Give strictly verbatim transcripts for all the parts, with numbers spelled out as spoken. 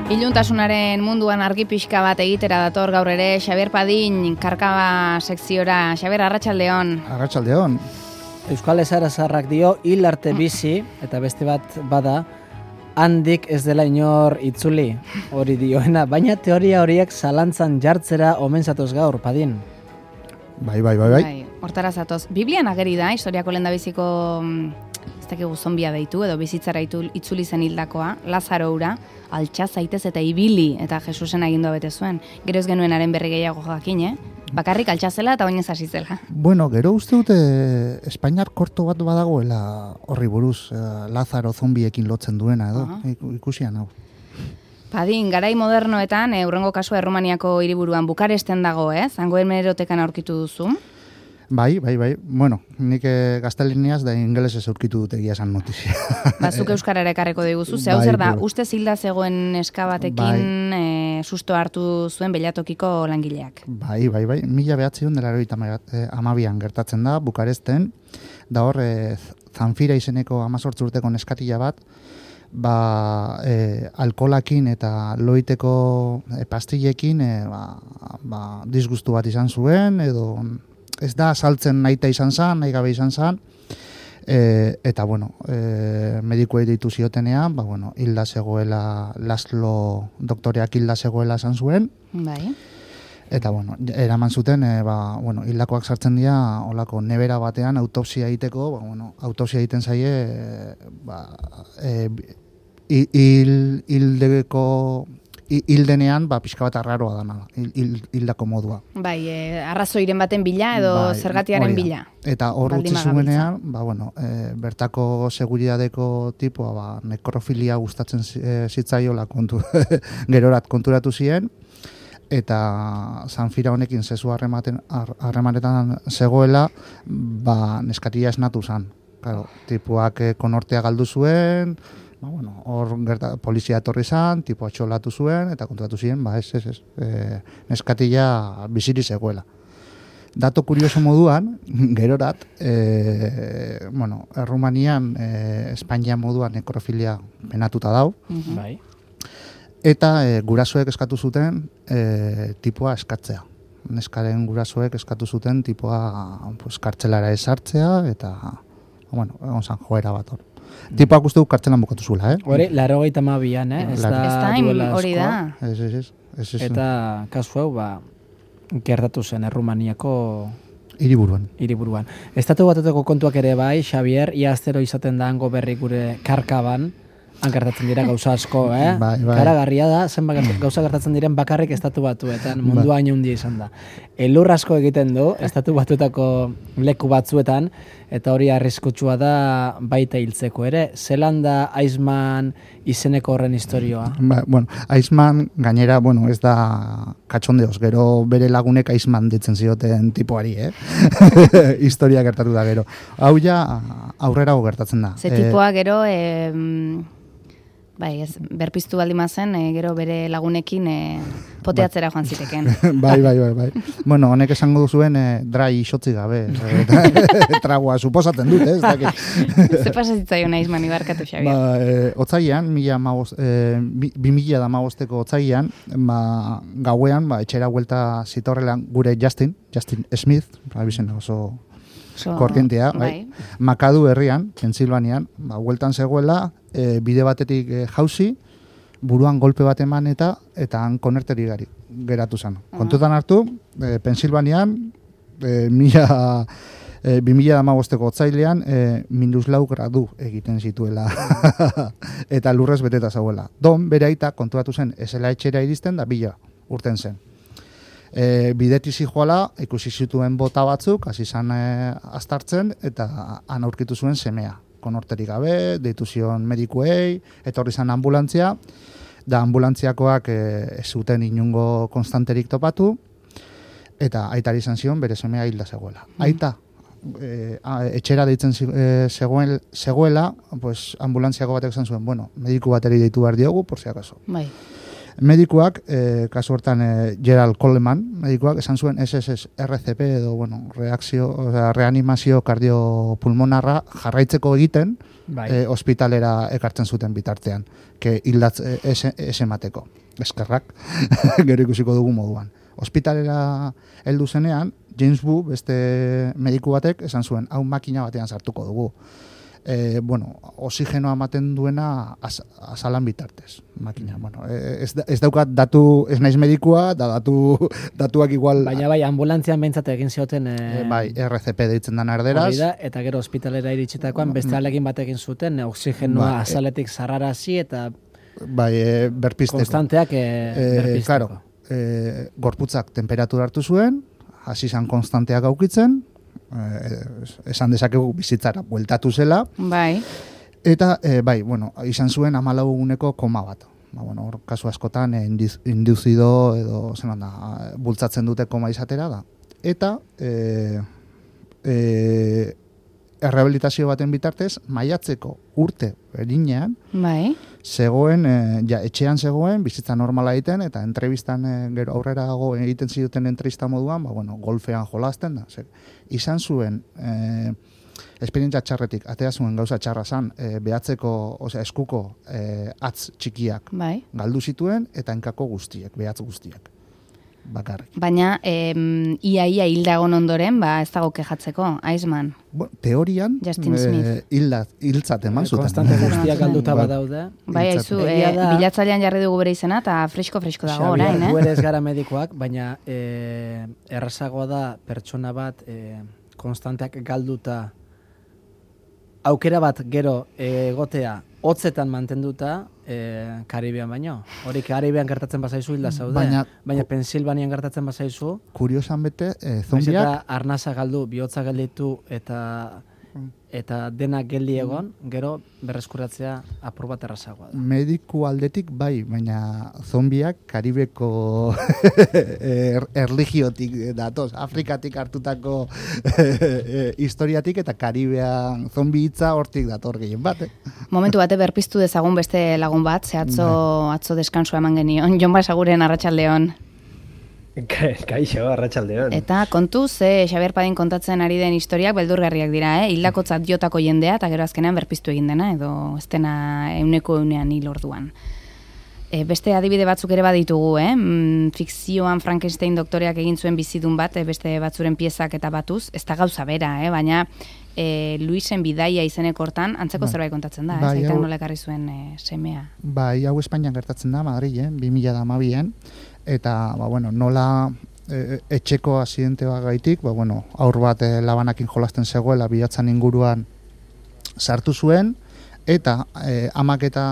Iluntasunaren munduan argi pixka bat egitera dator gaur ere Xabier Padin karkaba sekziora. Xabier, arratsaldeon. Arratsaldeon. Euskal Esarazarrak dio hil arte bizi, eta beste bat bada, handik ez dela inor itzuli, hori dioena, baina teoria horiek zalantzan jartzera omen zatoz gaur, Padin. Bai, bai, bai, bai. Bai, hortara zatoz. Biblian ageri da, historiako lehendabiziko ez dakigu zombia deitu, edo bizitzara itzuli zen hildakoa, Lazaro ura, altxa zaitez eta ibili, eta Jesusen agindua bete zuen. Gero ez genuen haren berri gehiago jakin, eh? Bakarrik altxa zela eta oinez hasi zela. Bueno, gero uste dute Espainiar korto bat badagoela horri buruz, Lazaro zombiekin lotzen duena edo, uh-huh. Ikusian hau. Padin, garai modernoetan, e, urrengo kasua Errumaniako hiriburuan Bukaresten dago, ez? Zango hemerotekan aurkitu duzu. Bai, bai, bai. Bueno, nik e, gaztelaniaz da ingelesez aurkitu dut egia esan notizia. Bazuk euskarara ekarreko diguzu, zeu bai, zer da, bai. uste zilda zegoen eskabatekin bai. e, susto hartu zuen belatokiko langileak. Bai, bai, bai. Mila behatzion dela eroita amabian gertatzen da, Bukaresten, da hor, e, Zanfira izeneko amazortz urteko neskatila bat, ba, e, alkolakin eta loiteko e, pastillekin e, ba, ba, disgustu bat izan zuen, edo ez da saltzen nahita izan zan, nahi gabe izan zan, e, eta bueno, e, medikuei deitu ziotenean, ba, bueno, hilda zegoela, Laszlo doktoreak hilda zegoela esan zuen, bai. Eta bueno, eraman zuten, e, ba, bueno, hildakoak sartzen dira, olako nebera batean autopsia egiteko, ba, bueno, autopsia egiten zaie, e, ba, e, hil, hildeko, hildenean, ba, pixka bat arraroa dana, hildako modua. Bai, e, arrazoiren baten bila edo bai, zergatiaren bila. Eta hor utzi zuenean, ba, bueno, e, bertako seguridadeko tipua, ba, nekrofilia gustatzen e, zitzaiola kontu, gerorat konturatu ziren, eta Zanfira honekin zezu harremanetan zegoela, ba, neskatia esnatu zan. Claro, tipuak e, konortea galdu zuen, ba, bueno, hor gerta, polizia etorri zan, tipo atxolatu zuen, eta konturatu ziren, ba, ez, ez, ez, e, neskatila biziri zegoela. Dato kurioso moduan, gerorat, e, bueno, Errumanian, e, Espainia moduan nekrofilia penatuta dau, mm-hmm. Bai. Eta e, gurasoek eskatu zuten e, tipoa eskatzea. Neskaren gurasoek eskatu zuten tipoa pues, kartzelara esartzea, eta, bueno, egon zan joera bat hor. Tipoak uste du kartzelan bukatu zuela, eh? Hori, laro gaita mabian, eh? Ez da duela hori da. Ez, ez, ez, ez, ez. Eta kasu hau, ba, gertatu zen Errumaniako hiriburuan. Hiriburuan. Estatu Batuetako kontuak ere bai, Xabier, ia astero izaten da hango berri gure karkaban, han gertatzen dira gauza asko, eh? Bai, bai. Karagarria da, zenbat gauza gertatzen diren bakarrik Estatu Batuetan, mundua hain handia izan da. Elur asko egiten du, Estatu Batuetako leku batzuetan, eta hori arriskutsua da baita hiltzeko ere. Zelan da Iceman izeneko horren historioa? Ba, bueno, Iceman gainera, bueno, ez da katxondeoz, gero bere lagunek Iceman ditzen zioten tipoari, eh? Historia gertatu da gero. Hau ja aurrera gertatzen da. Ze tipoa gero... Eh, Bai, ez, berpiztu baldi mazen, e, gero bere lagunekin e, poteatzera joan ziteken. Bai, bai, bai, bai. Bueno, honek esango duzuen e, drai xotzi gabe. Tragoa, suposatzen dut, ez? Ze pasatzitzaio naiz mani barkatu, Xabier? Ba, e, otzaian, e, bi mila da magosteko otzaian, ba, gauean, ba, etxera huelta zitorrelan gure Justin, Justin Smith, abizen oso... So, korrientea, bai. bai. Makadu herrian, Pensilvanian, ba, hueltan zegoela, e, bide batetik e, jauzi, buruan golpe bat eman eta eta han konerteri gari, geratu zen. Uh-huh. Kontutan hartu, e, Pensilvanian, e, mila, e, bi mila damagosteko otzailean, e, minus lau gradu egiten zituela. Eta lurrez beteta zauela. Don, bere aita, kontuatu zen, esela etxera iristen da bila urten zen. E, bidetik zijoala, ikusi zituen bota batzuk, hasi zan e, astartzen, eta han aurkitu zuen semea. Konorterik gabe, deitu zion medikuei, etorri zan ambulantzia, da ambulantziakoak e, ez zuten inungo konstanterik topatu, eta aitari izan zion bere semea hilda zegoela. Mm. Aita, e, a, etxera deitzen e, zegoen, zegoela, pues, ambulantziako batek zan zuen, bueno, mediku bateri deitu behar diogu, por si acaso. Bai. Medikuak, e, kasu hortan e, Gerald Coleman, medikuak esan zuen S S R C P edo, bueno, reakzio, o sea, reanimazio kardiopulmonarra jarraitzeko egiten, bai. e, ospitalera ekartzen zuten bitartean, ke hildatz e, ez emateko. Eskerrak, gero ikusiko dugu moduan. Ospitalera heldu zenean, James Wu, beste mediku batek, esan zuen, hau makina batean sartuko dugu. E, bueno, oxigenoa ematen duena az, azalan bitartez, makina. Bueno, ez, ez daukat datu, ez naiz medikua, da datu, datuak igual... Baina bai, ambulantzian behintzat egin zioten... E... E, bai, R C P deitzen den erderaz. Da, eta gero ospitalera iritsitakoan beste alekin batekin zuten, oxigenoa bai, azaletik zarrarazi eta... Bai, e, berpisteko. Konstanteak e, berpisteko. Claro, e, gorputzak temperatura hartu zuen, hasi zan konstanteak aukitzen, Eh, esan dezakegu bizitzara bueltatu zela. Bai. Eta, eh, bai, bueno, izan zuen hamalau eguneko koma bat. Ba, bueno, hor, kasu askotan, eh, induzido edo, zelan da, bultzatzen dute koma izatera da. Eta, eh, eh, errehabilitazio baten bitartez, maiatzeko urte berinean, bai. zegoen, e, ja, etxean zegoen, bizitza normala egiten, eta entrevistan e, gero aurrerago egiten ziduten entrevista moduan, ba, bueno, golfean jolasten da. Zer, izan zuen, e, esperientzia txarretik, atea zuen gauza txarra zan, e, behatzeko, osea, eskuko e, atz txikiak bai. galdu zituen, eta enkako guztiek, behatz guztiak. Bakarrik. Baina, em, ia ia hildagon ondoren, ba, ez dago kejatzeko, Iceman. Bueno, teorian, e, hiltzat eman zuten. Konstante guztiak galduta badaude. Bai, haizu, e, bilatzailean jarri dugu bere izena, eta fresko-fresko dago orain, eh? Gu ere ez gara medikoak, baina e, errazagoa da pertsona bat e, konstanteak galduta aukera bat gero egotea hotzetan mantenduta e, Karibian baino. Hori Karibian gertatzen bazaizu hilda zaude. Baina, baina Pensilvanian gertatzen bazaizu. Kuriosan bete, e, zombiak... Eta arnaza galdu, bihotza gelditu eta eta denak geldi egon, gero berreskuratzea apur bat errazagoa da. Mediku aldetik bai, baina zombiak Karibeko er, erligiotik datoz, Afrikatik hartutako historiatik eta Karibean zombi hitza hortik dator gehien bat. Eh? Momentu bate berpiztu dezagun beste lagun bat, ze atzo, atzo deskansoa eman genion, Jon Basaguren Arratsaldeon. Kaixo, Arratsaldeon. Eta kontu ze Xabier Padin kontatzen ari den historiak beldurgarriak dira, eh? Hildakotzat jotako jendea eta gero azkenean berpiztu egin dena edo ez dena euneko eunean hil orduan. E, beste adibide batzuk ere baditugu, eh? Mm, fikzioan Frankenstein doktoreak egin zuen bizidun bat, e, beste batzuren piezak eta batuz, ez da gauza bera, eh? Baina e, Luisen bidaia izeneko hortan antzeko ba. zerbait kontatzen da, bai, ez aitak nola ekarri zuen e, semea. Bai, hau Espainian gertatzen da, Madrilen, bi mila hamabian, eta ba, bueno, nola e, etxeko asidente bat gaitik, ba, bueno, aur bat e, labanakin jolasten zegoela bilatzan inguruan sartu zuen, eta e, amak eta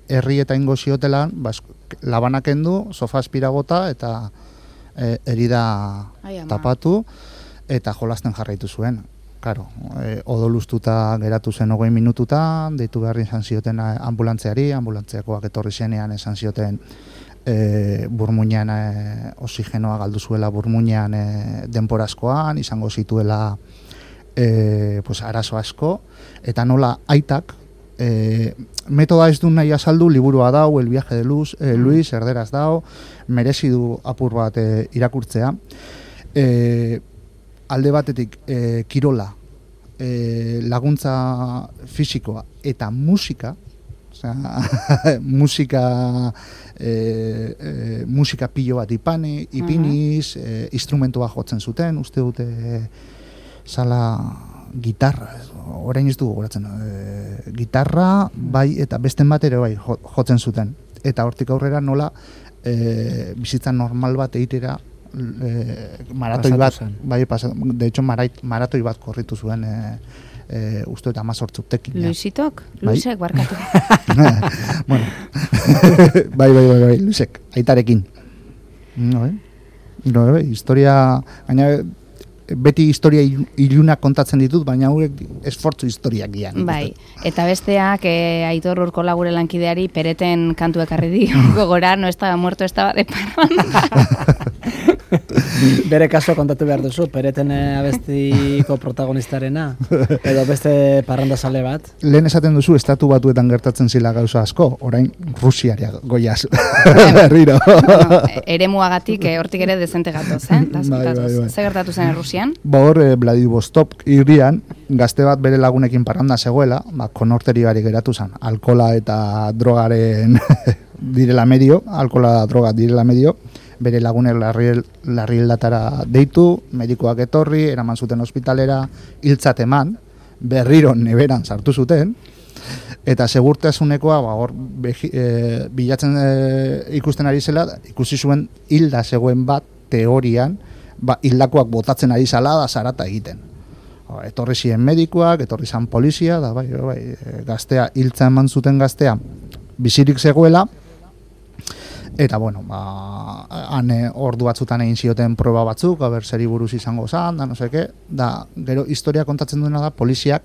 herri eta ingo ziotelan, ba, labanak endu, sofa espiragota eta e, herida Ai, tapatu, eta jolasten jarraitu zuen. Claro, e, odolustuta geratu zen hogei minututan, deitu behar izan zioten ambulantziari, ambulantziakoak etorri zenean esan zioten e, burmuinean e, oxigenoa galdu zuela burmuinean e, denporazkoan, izango zituela e, pues, arazo asko, eta nola aitak, e, metoda ez du nahi azaldu, liburua dau, El viaje de Luz, e, Luis, erderaz dau, merezi du apur bat e, irakurtzea. E, alde batetik e, kirola, e, laguntza fisikoa eta musika, osea, musika e, e, musika pilo bat ipani, ipiniz, e, instrumentua jotzen zuten, uste dute zala gitarra, orain ez dugu goratzen, e, gitarra, bai, eta besten bat ere bai jotzen zuten. Eta hortik aurrera nola e, bizitza normal bat egitera E, maratoi bat, bai, pasa, de hecho marait, maratoi bat korritu zuen e, e, uste eta amazortzutekin. Luisitok? Luisek, bai? Barkatu. Bueno, bai, bai, bai, bai, Luisek, aitarekin. No, eh? No, eh? Historia, gaina, beti historia ilunak kontatzen ditut, baina hauek esfortzu historiak gian. Bai, eta besteak e, Aitor Urkola gure lankideari pereten kantu ekarri di gogora, no estaba muerto, estaba de parranda. Bere kasua kontatu behar duzu, Pereten abestiko protagonistarena, edo beste parrandazale bat. Lehen esaten duzu, estatu batuetan gertatzen zila gauza asko, orain Rusiaria goiaz. Berriro. Bueno, eremuagatik eh, hortik ere dezente gatoz, eh? Bai, bai, bai. Zer gertatu zen Rusian? Ba hor, eh, Vladivostok hirian, gazte bat bere lagunekin parranda zegoela, ba, konorteri gari geratu zen, alkola eta drogaren direla medio, alkola droga direla medio, bere lagunek larrialdatara deitu, medikoak etorri, eraman zuten ospitalera, hiltzat eman, berriro neberan sartu zuten, eta segurtasunekoa ba, hor behi, e, bilatzen e, ikusten ari zela, ikusi zuen hilda zegoen bat teorian, ba, hildakoak botatzen ari zala da zarata egiten. O, etorri ziren medikoak, etorri zan polizia, da bai, bai, gaztea, hiltza eman zuten gaztea, bizirik zegoela, eta bueno, ba, han ordu batzutan egin zioten proba batzuk, aber zeri buruz izango zan, da no seke, da gero historia kontatzen duena da, poliziak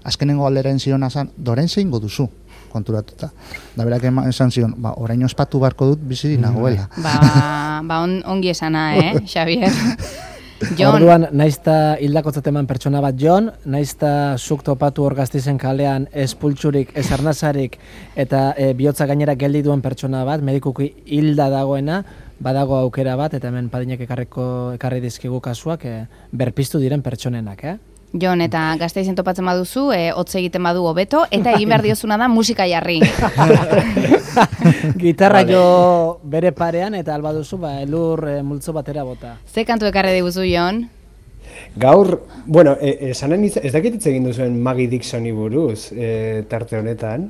azkenengo alderen ziona zan, doren zein duzu konturatuta. Da berak esan zion, ba, orain ospatu barko dut bizi nagoela. Ba, ba on, ongi esana, eh, Xavier? Jon. Orduan, naizta hildakotzat eman pertsona bat Jon, naizta zuk topatu hor Gasteizen kalean espultsurik, ez arnazarik eta e, bihotza gainera geldi duen pertsona bat, medikuki hilda dagoena, badago aukera bat, eta hemen Padinek ekarriko, ekarri dizkigu kasuak e, berpiztu diren pertsonenak, eh? Jon, eta Gasteizen topatzen baduzu, e, hotz egiten badu hobeto, eta egin behar diozuna da musika jarri. Gitarra jo bere parean, eta alba duzu, ba, elur e, multzo batera bota. Ze kantu ekarri diguzu, Jon? Gaur, bueno, esanen e, ez dakit hitz egin duzuen Maggie Dixoni buruz, e, tarte honetan.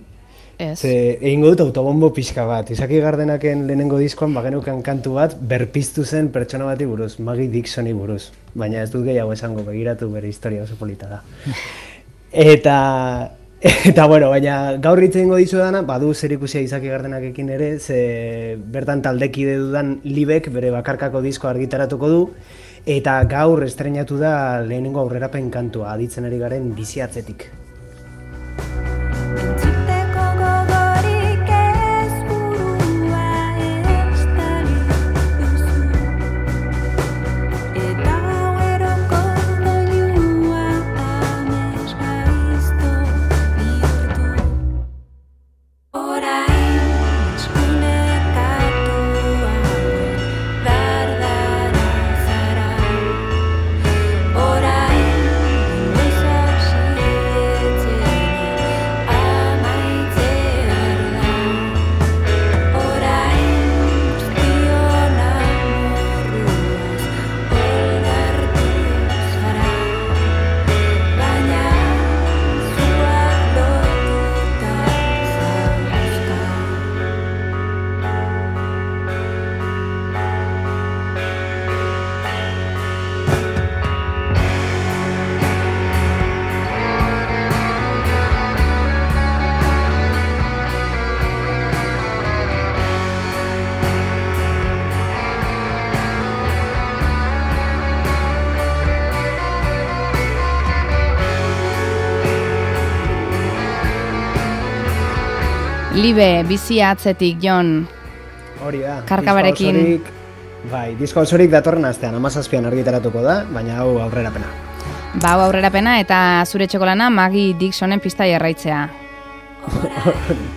Ez. Ze, egingo dut autobombo pixka bat. Izaki Gardenaken lehenengo diskoan bagenukan kantu bat berpiztu zen pertsona bati buruz, Maggie Dixoni buruz. Baina ez dut gehiago esango, begiratu bere historia oso polita da. Eta, eta bueno, baina gaur hitz egingo dizu dana, badu zer ikusia Izaki Gardenakekin ere, ze bertan taldekide dudan Libek bere bakarkako disko argitaratuko du, eta gaur estreinatu da lehenengo aurrerapen kantua, aditzen ari garen bizi atzetik. Libe, bizia atzetik, Jon. Hori da. Karkabarekin. Disko osorik, bai, disko osorik datorren astean, hamazazpian argitaratuko da, baina hau aurrerapena. Ba, hau aurrerapena eta zure txokolana Maggie Dixonen pista jarraitzea.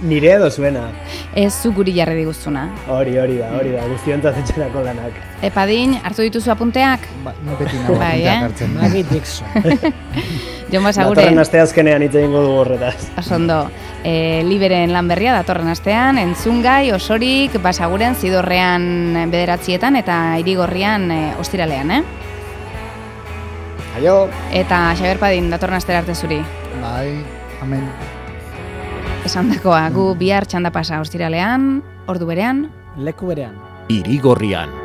Nire edo zuena. Ez zu guri jarri diguzuna. Hori, hori da, hori da, guztiontzat etxerako lanak. Epadin, hartu dituzu apunteak? Ba, no beti nago bai, apunteak eh? hartzen. Maggie Dixon. Jon Basagure. Datorren aste azkenean hitz egingo dugu horretaz. Osondo, e, Liberen lan berria datorren astean, entzungai, osorik, Basaguren, Zidorrean bederatzietan eta Irigorrian e, ostiralean, eh? Aio! Eta Xabier Padin, datorren astera arte zuri. Bai, amen. Esan dakoa, gu bihar txanda pasa ostiralean, ordu berean. Leku berean. Irigorrian.